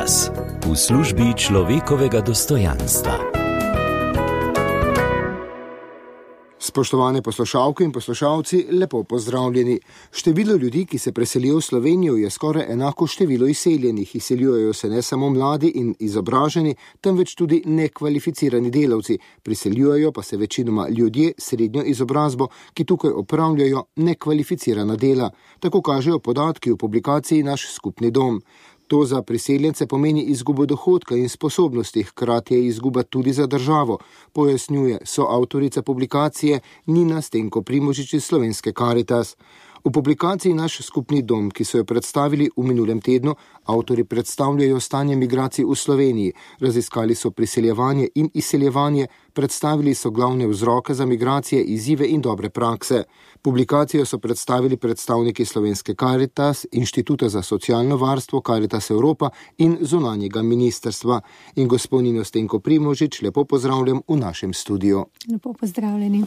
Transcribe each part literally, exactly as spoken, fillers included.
Karitas v službi človekovega dostojanstva. Spoštovane poslušalke in poslušalci, lepo pozdravljeni. Število ljudi, ki se preselijo v Slovenijo, je skoraj enako številu izseljenih. Izseljujejo se ne samo mladi in izobraženi, temveč tudi nekvalificirani delavci. Priseljujejo pa se večinoma ljudje s srednjo izobrazbo, ki tukaj opravljajo nekvalificirana dela. Tako kažejo podatki v publikaciji Naš skupni dom. To za priseljence pomeni izgubo dohodka in sposobnosti, hkrati je izguba tudi za državo, pojasnjuje soavtorica publikacije Nina Stenko Primožič iz Slovenske Karitas. V publikaciji Naš skupni dom, ki so jo predstavili v minulem tednu, avtori predstavljajo stanje migracij v Sloveniji, raziskali so priseljevanje in izseljevanje, predstavili so glavne vzroke za migracije, izzive in dobre prakse. Publikacijo so predstavili predstavniki Slovenske Karitas, Inštituta za socialno varstvo Karitas Evropa in zunanjega ministrstva. In gospod Nino Stenko Primožič, lepo pozdravljam v našem studiu. Lepo pozdravljeni.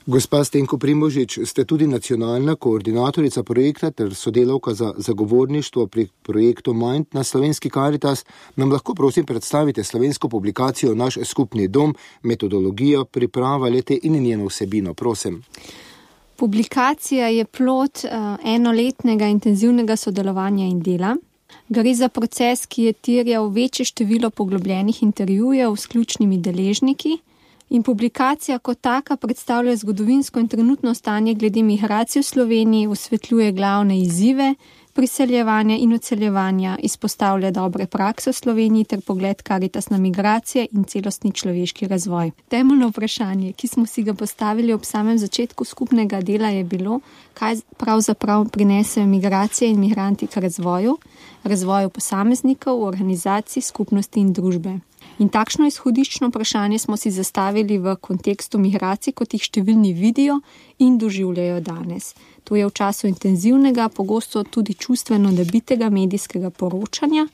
Gospa Stenko Primožič, ste tudi nacionalna koordinatorica projekta ter sodelavka za zagovorništvo pri projektu Mind na Slovenski Karitas. Nam lahko prosim predstavite slovensko publikacijo Naš skupni dom, metodologijo, priprava lete in njeno vsebino, prosim. Publikacija je plod uh, enoletnega intenzivnega sodelovanja in dela. Gre za proces, ki je terjal večje število poglobljenih intervjujev s ključnimi deležniki. In publikacija kot taka predstavlja zgodovinsko in trenutno stanje glede migracij v Sloveniji, osvetljuje glavne izzive priseljevanja in odseljevanja, izpostavlja dobre prakse v Sloveniji ter pogled Karitas na migracije in celostni človeški razvoj. Temeljno vprašanje, ki smo si ga postavili ob samem začetku skupnega dela, je bilo, kaj pravzaprav prinesejo migracije in migranti k razvoju, razvoju posameznikov, organizacij, skupnosti in družbe. In takšno izhodiščno vprašanje smo si zastavili v kontekstu migracij, kot jih številni vidijo in doživljajo danes. To je v času intenzivnega, pogosto tudi čustveno nabitega medijskega poročanja,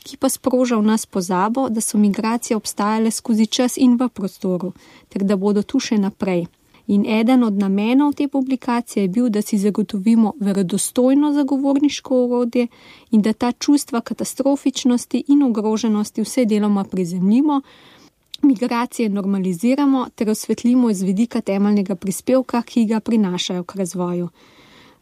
ki pa sproža v nas pozabo, da so migracije obstajale skozi čas in v prostoru, ter da bodo tu še naprej. In eden od namenov te publikacije je bil, da si zagotovimo verodostojno zagovorniško orodje in da ta čustva katastrofičnosti in ogroženosti vse deloma prizemljimo, migracije normaliziramo ter osvetlimo iz vidika temeljnega prispevka, ki ga prinašajo k razvoju.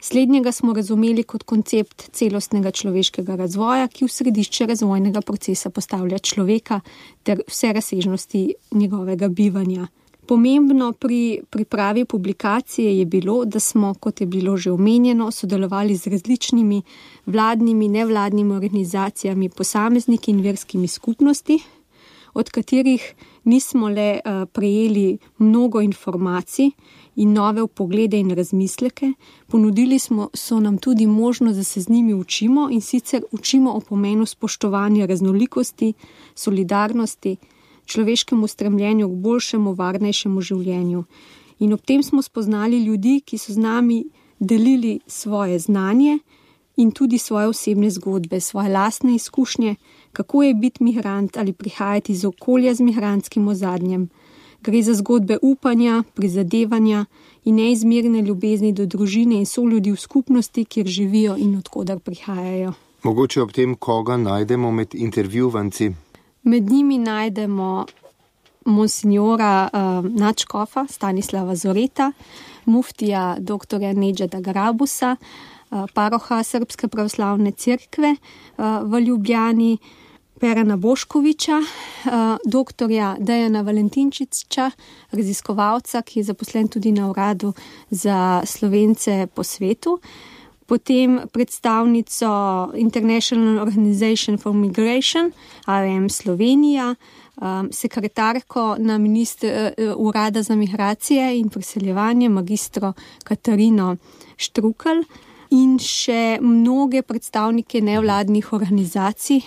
Slednjega smo razumeli kot koncept celostnega človeškega razvoja, ki v središče razvojnega procesa postavlja človeka ter vse razsežnosti njegovega bivanja. Pomembno pri pripravi publikacije je bilo, da smo, kot je bilo že omenjeno, sodelovali z različnimi vladnimi, nevladnimi organizacijami, posamezniki in verskimi skupnosti, od katerih nismo le uh, prejeli mnogo informacij in nove vpoglede in razmisleke, ponudili smo, so nam tudi možnost, da se z njimi učimo in sicer učimo o pomenu spoštovanja raznolikosti, solidarnosti, človeškemu stremljenju k boljšemu, varnejšemu življenju. In ob tem smo spoznali ljudi, ki so z nami delili svoje znanje in tudi svoje osebne zgodbe, svoje lastne izkušnje, kako je biti migrant ali prihajati iz okolja z migrantskim ozadjem. Gre za zgodbe upanja, prizadevanja in neizmerne ljubezni do družine in soljudi v skupnosti, kjer živijo in odkudar prihajajo. Mogoče ob tem, koga najdemo med intervjuvanci? Med njimi najdemo monsignora uh, nadškofa Stanislava Zoreta, muftija doktorja Nedžada Grabusa, uh, paroha Srpske pravoslavne cerkve uh, v Ljubljani, Perana Boškoviča, uh, doktorja Dejana Valentinčiča, raziskovalca, ki je zaposlen tudi na uradu za Slovence po svetu, potem predstavnico International Organization for Migration, I O M Slovenija, um, sekretarko na minister, uh, urada za migracije in priseljevanje, magistro Katarino Štrukelj in še mnoge predstavnike nevladnih organizacij,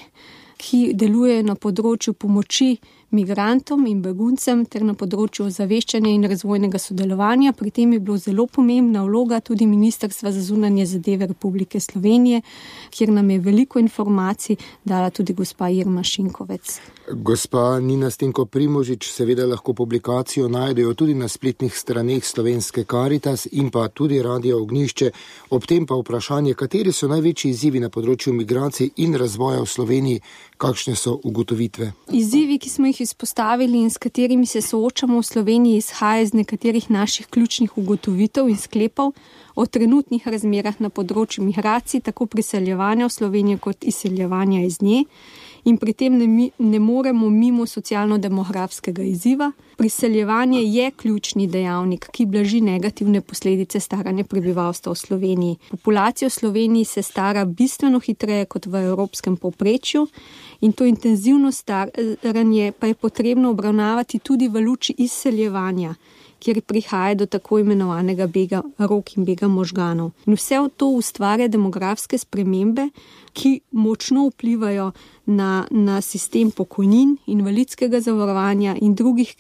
ki delujejo na področju pomoči migrantom in beguncem ter na področju ozaveščanja in razvojnega sodelovanja. Pri tem je bilo zelo pomembna vloga tudi Ministrstva za zunanje zadeve Republike Slovenije, kjer nam je veliko informacij dala tudi gospa Irma Šinkovec. Gospa Nina Stenko Primožič, seveda lahko publikacijo najdejo tudi na spletnih straneh Slovenske Karitas in pa tudi Radio Ognjišče. Ob tem pa vprašanje, kateri so največji izzivi na področju migracij in razvoja v Sloveniji, kakšne so ugotovitve? Izzivi, ki smo jih izpostavili in s katerimi se soočamo v Sloveniji, izhaja iz nekaterih naših ključnih ugotovitev in sklepov o trenutnih razmerah na področju migracij, tako priseljevanja v Slovenijo kot izseljevanja iz nje. In pri tem ne, ne moremo mimo socialno-demografskega izziva. Priseljevanje je ključni dejavnik, ki blaži negativne posledice staranja prebivalstva v Sloveniji. Populacija v Sloveniji se stara bistveno hitreje kot v evropskem povprečju in to intenzivno staranje pa je potrebno obravnavati tudi v luči izseljevanja, kjer prihaja do tako imenovanega bega rok in bega možganov. In vse to ustvarja demografske spremembe, ki močno vplivajo na, na sistem pokojnin, invalidskega zavarovanja in drugih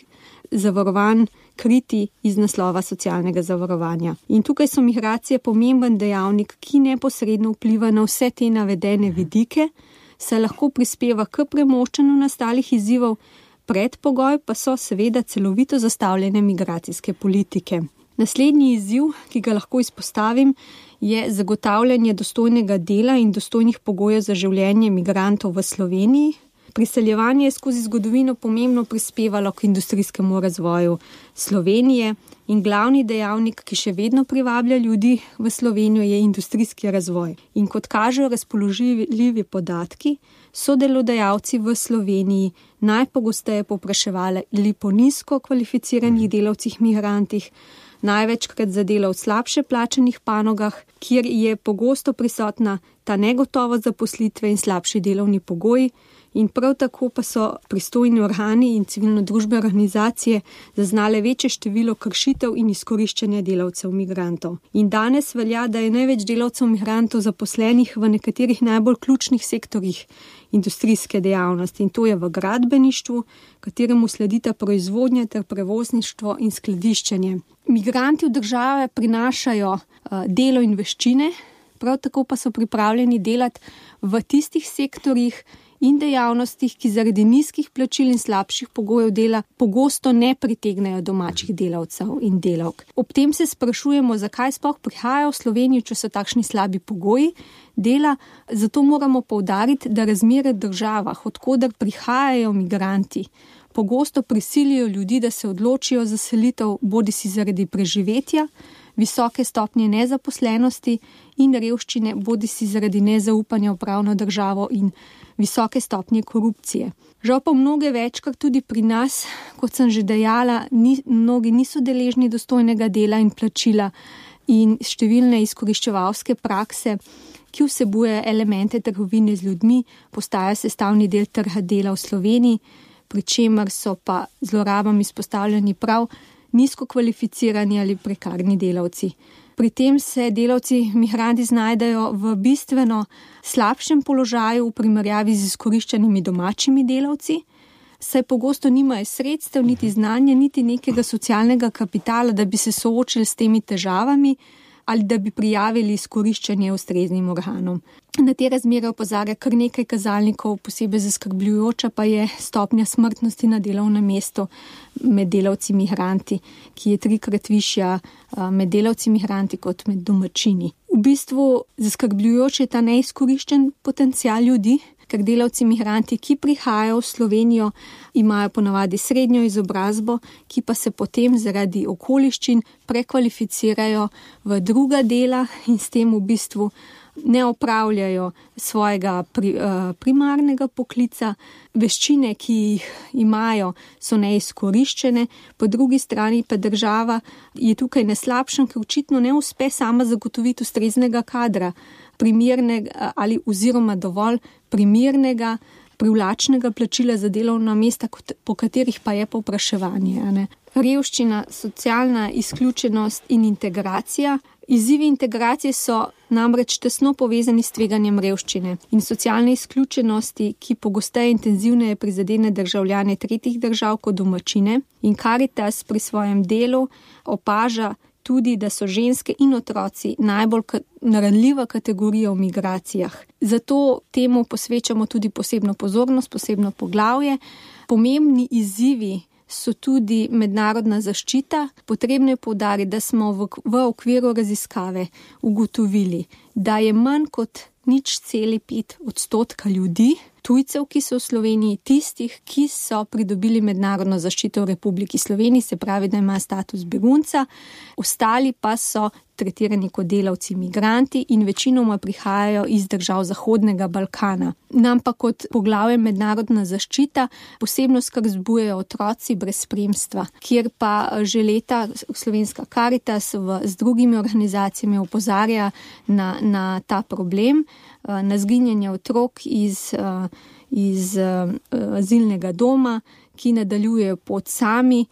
zavarovanj kriti iz naslova socialnega zavarovanja. In tukaj so migracije pomemben dejavnik, ki neposredno vpliva na vse te navedene vidike, se lahko prispeva k premoščanju nastalih izzivov, predpogoj pa so seveda celovito zastavljene migracijske politike. Naslednji izziv, ki ga lahko izpostavim, je zagotavljanje dostojnega dela in dostojnih pogojev za življenje migrantov v Sloveniji. Priseljevanje je skozi zgodovino pomembno prispevalo k industrijskemu razvoju Slovenije in glavni dejavnik, ki še vedno privablja ljudi v Slovenijo, je industrijski razvoj. In kot kažejo razpoložljivi podatki, so delodajalci v Sloveniji najpogosteje povpraševali po nizko kvalificiranih delavcih migrantih, največkrat za delo v slabše plačanih panogah, kjer je pogosto prisotna ta negotovost zaposlitve in slabši delovni pogoji. In prav tako pa so pristojni organi in civilno-družbene organizacije zaznale večje število kršitev in izkoriščanja delavcev migrantov. In danes velja, da je največ delavcev migrantov zaposlenih v nekaterih najbolj ključnih sektorjih industrijske dejavnosti in to je v gradbeništvu, kateremu sledita proizvodnja ter prevozništvo in skladiščenje. Migranti v države prinašajo uh, delo in veščine, prav tako pa so pripravljeni delati v tistih sektorjih in dejavnostih, ki zaradi nizkih plačil in slabših pogojev dela pogosto ne pritegnejo domačih delavcev in delavk. Ob tem se sprašujemo, zakaj sploh prihajajo v Slovenijo, če so takšni slabi pogoji dela. Zato moramo poudariti, da razmere v državah, od koder prihajajo migranti, pogosto prisilijo ljudi, da se odločijo za selitev bodisi zaradi preživetja, visoke stopnje nezaposlenosti in revščine, bodisi zaradi nezaupanja v pravno državo in visoke stopnje korupcije. Žal pa mnoge večkrat tudi pri nas, kot sem že dejala, ni, mnogi niso deležni dostojnega dela in plačila in številne izkoriščevalske prakse, ki vsebuje elemente trgovine z ljudmi, postajajo sestavni del trga dela v Sloveniji, pri čemer so pa zlorabam izpostavljeni prav nizko kvalificirani ali prekarni delavci. Pri tem se delavci migranti znajdejo v bistveno slabšem položaju v primerjavi z izkoriščenimi domačimi delavci, saj pogosto nimajo sredstev, niti znanja, niti nekega socialnega kapitala, da bi se soočili s temi težavami ali da bi prijavili izkoriščanje ustreznim organom. Na te razmere opozarja kar nekaj kazalnikov, posebej zaskrbljujoča pa je stopnja smrtnosti na delovnem mestu med delavci migranti, ki je trikrat višja med delavci migranti kot med domačini. V bistvu zaskrbljujoč je ta neizkoriščen potencial ljudi, ker delavci migranti, ki prihajajo v Slovenijo, imajo ponavadi srednjo izobrazbo, ki pa se potem zaradi okoliščin prekvalificirajo v druga dela in s tem v bistvu ne opravljajo svojega pri, uh, primarnega poklica. Veščine, ki jih imajo, so neizkoriščene, po drugi strani pa država je tukaj na slabšem, ker očitno ne uspe sama zagotoviti ustreznega kadra, primernega ali oziroma dovolj primernega, privlačnega plačila za delovna mesta, po katerih pa je povpraševanje. Revščina, socialna izključenost in integracija. Izzivi integracije so namreč tesno povezani s tveganjem revščine in socialne izključenosti, ki pogosteje intenzivneje prizadene državljane tretjih držav kot domačine, in Karitas pri svojem delu opaža tudi, da so ženske in otroci najbolj ranljiva kategorija v migracijah. Zato temu posvečamo tudi posebno pozornost, posebno poglavje. Pomembni izzivi so tudi mednarodna zaščita. Potrebno je poudariti, da smo v, v okviru raziskave ugotovili, da je manj kot nič celi pet odstotka ljudi, tujcev, ki so v Sloveniji, tistih, ki so pridobili mednarodno zaščito v Republiki Sloveniji, se pravi, da ima status begunca, ostali pa so tretirani kot delavci migranti in večinoma prihajajo iz držav Zahodnega Balkana. Nam pa kot poglavje mednarodna zaščita posebno skrb vzbujajo otroci brez spremstva, kjer pa že leta Slovenska Karitas v, z drugimi organizacijami opozarja na, na ta problem, na zginjanje otrok iz, iz azilnega doma, ki nadaljujejo pot sami.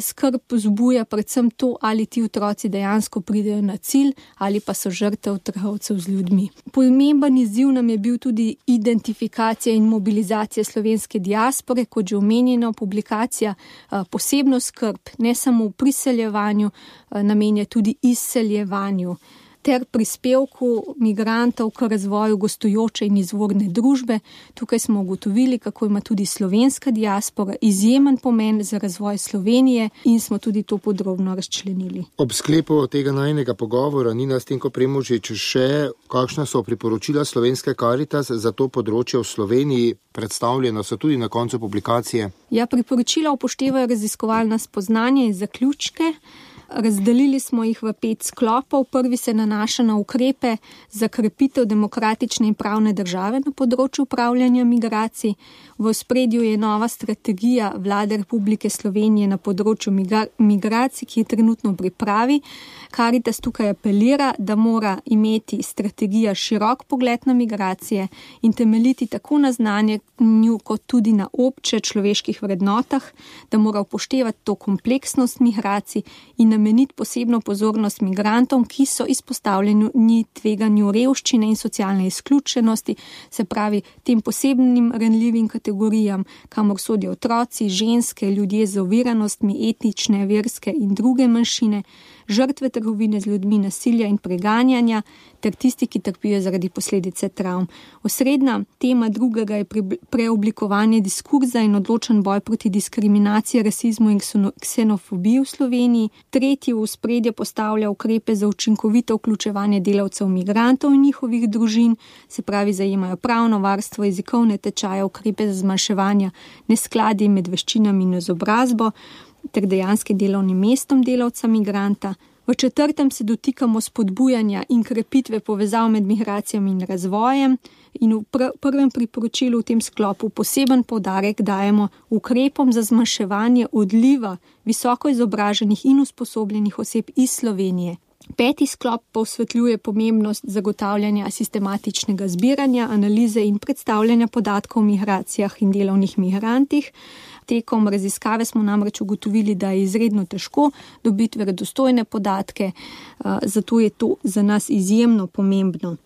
Skrb vzbuja predvsem to, ali ti otroci dejansko pridejo na cilj ali pa so žrtev trgovcev z ljudmi. Pomemben izziv nam je bil tudi identifikacija in mobilizacija slovenske diaspore, kot že omenjeno, publikacija posebno skrb ne samo v priseljevanju, namenja tudi izseljevanju ter prispevku migrantov k razvoju gostujoče in izvorne družbe. Tukaj smo ugotovili, kako ima tudi slovenska diaspora izjemen pomen za razvoj Slovenije in smo tudi to podrobno razčlenili. Ob sklepu tega najnega pogovora, Nina Stenko Premužič, še kakšna so priporočila Slovenske Karitas za to področje v Sloveniji, predstavljena so tudi na koncu publikacije? Ja, priporočila upoštevajo raziskovalna spoznanja in zaključke. Razdelili smo jih v pet sklopov. Prvi se nanaša na ukrepe za krepitev demokratične in pravne države na področju upravljanja migracij. V ospredju je nova strategija Vlade Republike Slovenije na področju migracij, ki je trenutno v pripravi. Karitas tukaj apelira, da mora imeti strategija širok pogled na migracije in temeljiti tako na znanju kot tudi na obče človeških vrednotah, da mora upoštevati to kompleksnost migracij in nameniti posebno pozornost migrantom, ki so izpostavljeni tveganju revščine in socialne izključenosti, se pravi tem posebnim ranljivim kategorijam, kamor sodijo otroci, ženske, ljudje z oviranostmi, etnične, verske in druge manjšine, žrtve trgovine z ljudmi, nasilja in preganjanja ter tisti, ki trpijo zaradi posledice travm. Osrednja tema drugega je preoblikovanje diskurza in odločen boj proti diskriminaciji, rasizmu in ksenofobiji v Sloveniji. Tretji v ospredje postavlja ukrepe za učinkovito vključevanje delavcev migrantov in njihovih družin, se pravi zajemajo pravno varstvo, jezikovne tečaje, ukrepe za zmanjševanje neskladij med veščinami in izobrazbo ter dejanskim delovnim mestom delavca migranta. V četrtem se dotikamo spodbujanja in krepitve povezav med migracijami in razvojem in v pr- prvem priporočilu v tem sklopu poseben poudarek dajemo ukrepom za zmanjševanje odliva visoko izobraženih in usposobljenih oseb iz Slovenije. Peti sklop pa osvetljuje pomembnost zagotavljanja sistematičnega zbiranja, analize in predstavljanja podatkov o migracijah in delovnih migrantih. Tekom raziskave smo namreč ugotovili, da je izredno težko dobiti verodostojne podatke, zato je to za nas izjemno pomembno.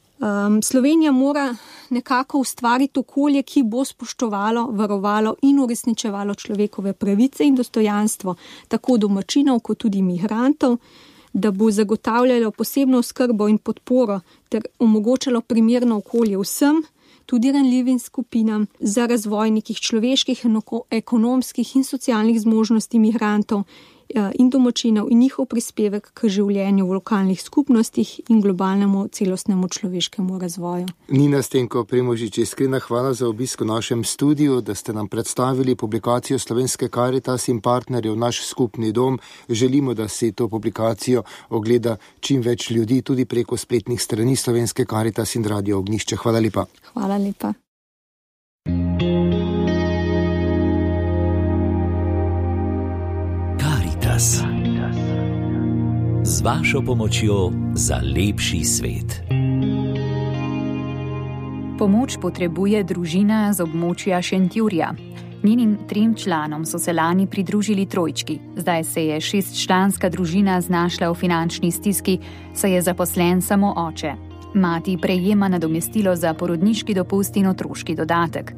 Slovenija mora nekako ustvariti okolje, ki bo spoštovalo, varovalo in uresničevalo človekove pravice in dostojanstvo, tako domačinov kot tudi migrantov, da bo zagotavljalo posebno skrbo in podporo ter omogočalo primerno okolje vsem, tudi ranljivim skupinam, za razvoj nekih človeških, ekonomskih in socialnih zmožnosti migrantov in domačinov in njihov prispevek k življenju v lokalnih skupnostih in globalnemu celostnemu človeškemu razvoju. Nina Stenko Premužič, iskrena hvala za obisk v našem studiu, da ste nam predstavili publikacijo Slovenske Karitas in partnerjev Naš skupni dom. Želimo, da si to publikacijo ogleda čim več ljudi, tudi preko spletnih strani Slovenske Karitas in Radio Ognjišče. Hvala lepa. Hvala lepa. Z vašo pomočjo za lepši svet. Pomoč potrebuje družina z območja Šentjurja. Njenim trem članom so se lani pridružili trojčki. Zdaj se je šestčlanska družina znašla v finančni stiski, saj je zaposlen samo oče. Mati prejema nadomestilo za porodniški dopust in otroški dodatek.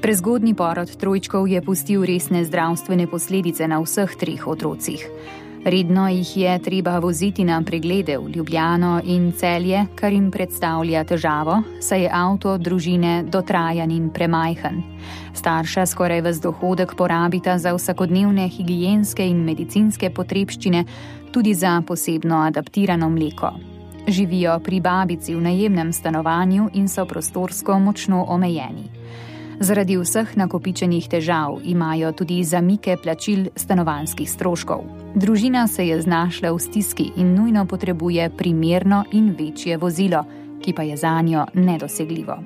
Prezgodnji porod trojčkov je pustil resne zdravstvene posledice na vseh treh otrocih. Redno jih je treba voziti na preglede v Ljubljano in Celje, kar jim predstavlja težavo, saj je avto družine dotrajan in premajhen. Starša skoraj ves dohodek porabita za vsakodnevne higienske in medicinske potrebščine, tudi za posebno adaptirano mleko. Živijo pri babici v najemnem stanovanju in so prostorsko močno omejeni. Zaradi vseh nakopičenih težav imajo tudi zamike plačil stanovanjskih stroškov. Družina se je znašla v stiski in nujno potrebuje primerno in večje vozilo, ki pa je zanjo nedosegljivo.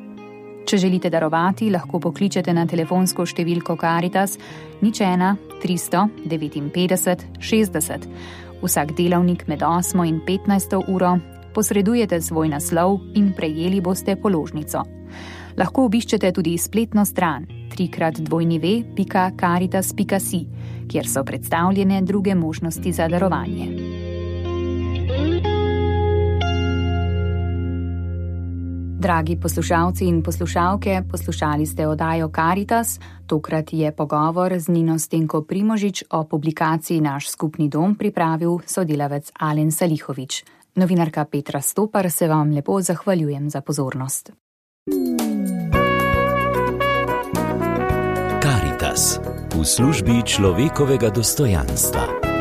Če želite darovati, lahko pokličete na telefonsko številko Karitas nič ena tristo devetinpetdeset šestdeset. Vsak delavnik med osmo in petnajsto uro posredujete svoj naslov in prejeli boste položnico. Lahko obiščete tudi spletno stran trikrat dvojni ve pika karitas pika si, kjer so predstavljene druge možnosti za darovanje. Dragi poslušalci in poslušalke, poslušali ste oddajo Karitas. Tokrat je pogovor z Nino Stenko Primožič o publikaciji Naš skupni dom pripravil sodelavec Alen Salihovič. Novinarka Petra Stopar se vam lepo zahvaljujem za pozornost. Karitas v službi človekovega dostojanstva.